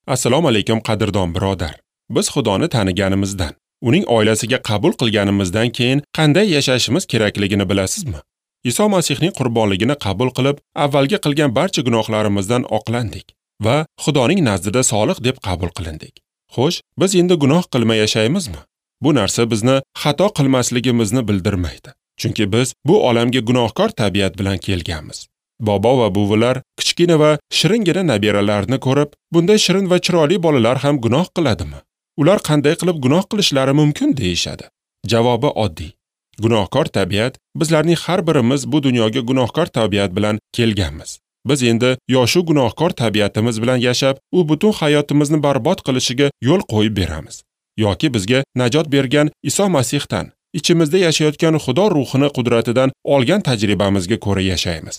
Assalomu alaykum qadrdon birodar. Biz Xudoni taniganimizdan, uning oilasiga qabul qilganimizdan keyin qanday yashashimiz kerakligini bilasizmi? Iso Masihning qurbonligini qabul qilib, avvalgi qilgan barcha gunohlarimizdan oqlandik va Xudoning nazdida solih deb qabul qilindik. Xo'sh, biz endi gunoh qilmay yashaymizmi? Bu narsa bizni xato qilmasligimizni bildirmaydi. Chunki biz bu olamga gunohkor tabiat bilan kelganmiz. Bobo va buvilar kichkina va shiringina nabiralarni ko'rib, bunday shirin va chiroyli bolalar ham gunoh qiladimi? Ular qanday qilib gunoh qilishlari mumkin deyishadi. Javobi oddiy. Gunohkor tabiat, bizlarning har birimiz bu dunyoga gunohkor tabiat bilan kelganmiz. Biz endi yoshu gunohkor tabiatimiz bilan yashab, u butun hayotimizni barbod qilishiga yo'l qo'yib beramiz. Yoki bizga najot bergan Iso Masihdan, ichimizda yashayotgan Xudo ruhini qudratidan olgan tajribamizga ko'ra yashaymiz.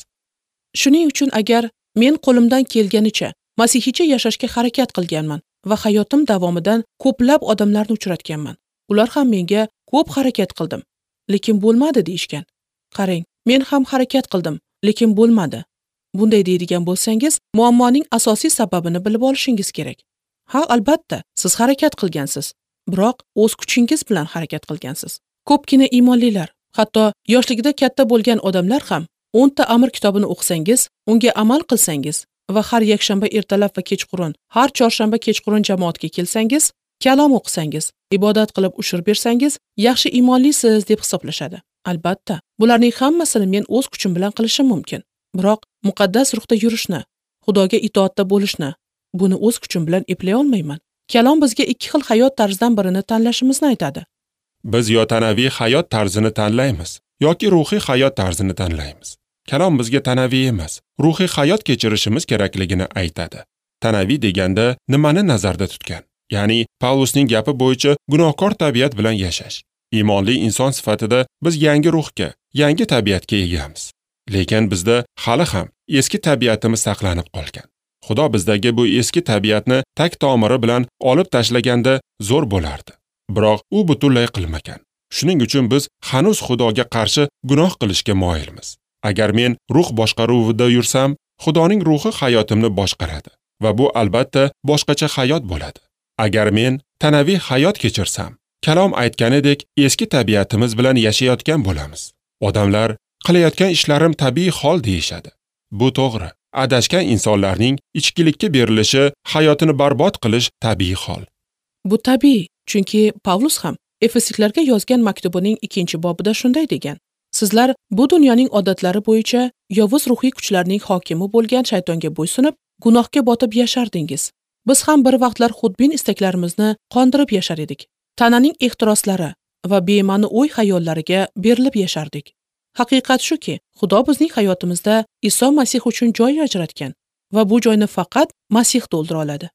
Shuning uchun agar men qo'limdan kelganicha masihiycha yashashga harakat qilganman va hayotim davomidan ko'plab odamlarni uchratganman. Ular ham menga ko'p harakat qildim, lekin bo'lmadi deyishgan. Qarang, men ham harakat qildim, lekin bo'lmadi. Bunday deydigan bo'lsangiz, muammoning asosiy sababini bilib olishingiz kerak. Ha, albatta, siz harakat qilgansiz, biroq o'z kuchingiz bilan harakat qilgansiz. Ko'pgina iymonlilar, hatto yoshligida katta bo'lgan odamlar ham 10 ta amr kitobini o'qisangiz, unga amal qilsangiz va har yakshanba ertalab va kechqurun, har chorshanba kechqurun jamoatga kelsangiz, kalom o'qisangiz, ibodat qilib ushur bersangiz, yaxshi iymonlisiz deb hisoblashadi. Albatta, bularning hammasini men o'z kuchim bilan qilishim mumkin. Biroq muqaddas ruhda yurishni, Xudoga itoatda bo'lishni, buni o'z kuchim bilan eplay olmayman. Kalom bizga ikki xil hayot tarzidan birini tanlashimizni aytadi. Biz yo tanaviy hayot tarzini tanlaymiz, yoki ruhiy hayot tarzini tanlaymiz. Kalom bizga tanaviy emas, ruhiy hayot kechirishimiz kerakligini aytadi. Tanaviy deganda nimani nazarda tutgan? Ya'ni Pavlusning gapi bo'yicha gunohkor tabiat bilan yashash. Iymonli inson sifatida biz yangi ruhga, yangi tabiatga egamiz. Lekin bizda hali ham eski tabiatimiz saqlanib qolgan. Xudo bizdagi bu eski tabiatni tak tomiri bilan olib tashlaganda zo'r bo'lardi. Biroq u butunlay qilmagan. Shuning uchun biz hanuz Xudoga qarshi gunoh qilishga moyilmiz. Agar men ruh boshqaruvida yursam, Xudoning ruhi hayotimni boshqaradi va bu albatta boshqacha hayot bo'ladi. Agar men tanaviy hayot kechirsam, kalom aytganidek eski tabiatimiz bilan yashayotgan bo'lamiz. Odamlar qilayotgan ishlarim tabiiy hol deyishadi. Bu to'g'ri. Adashgan insonlarning ichkilikka berilishi, hayotini barbod qilish tabiiy hol. Bu tabiiy, chunki Pavlus ham Efesliklarga yozgan maktubining 2-bobida shunday degan: Sizlar bu dunyoning odatlari bo'yicha yovuz ruhiy kuchlarning hokimi bo'lgan shaytonga bo'ysunib, gunohga botib yashardingiz. Biz ham bir vaqtlar xudbin istaklarimizni qondirib yashar edik. Tananing ehtiroslari va bema'ni o'y xayollariga berilib yashardik. Haqiqat shuki, Xudo bizning hayotimizda Iso Masih uchun joy ajratgan va bu joyni faqat Masih to'ldira oladi.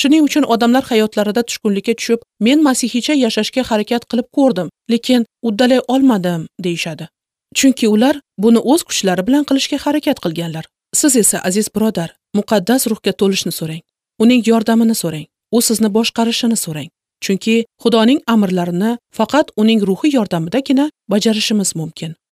Shuning uchun odamlar hayotlarida tushkunlikka tushib, men masihiycha yashashga harakat qilib ko'rdim, lekin uddalay olmadim deyishadi. Chunki ular buni o'z kuchlari bilan qilishga harakat qilganlar. Siz esa, aziz birodar, muqaddas ruhga to'lishni so'rang. Uning yordamini so'rang. U sizni boshqarishini so'rang. Chunki Xudoning amrlarini faqat uning ruhi yordamidagina bajarishimiz mumkin.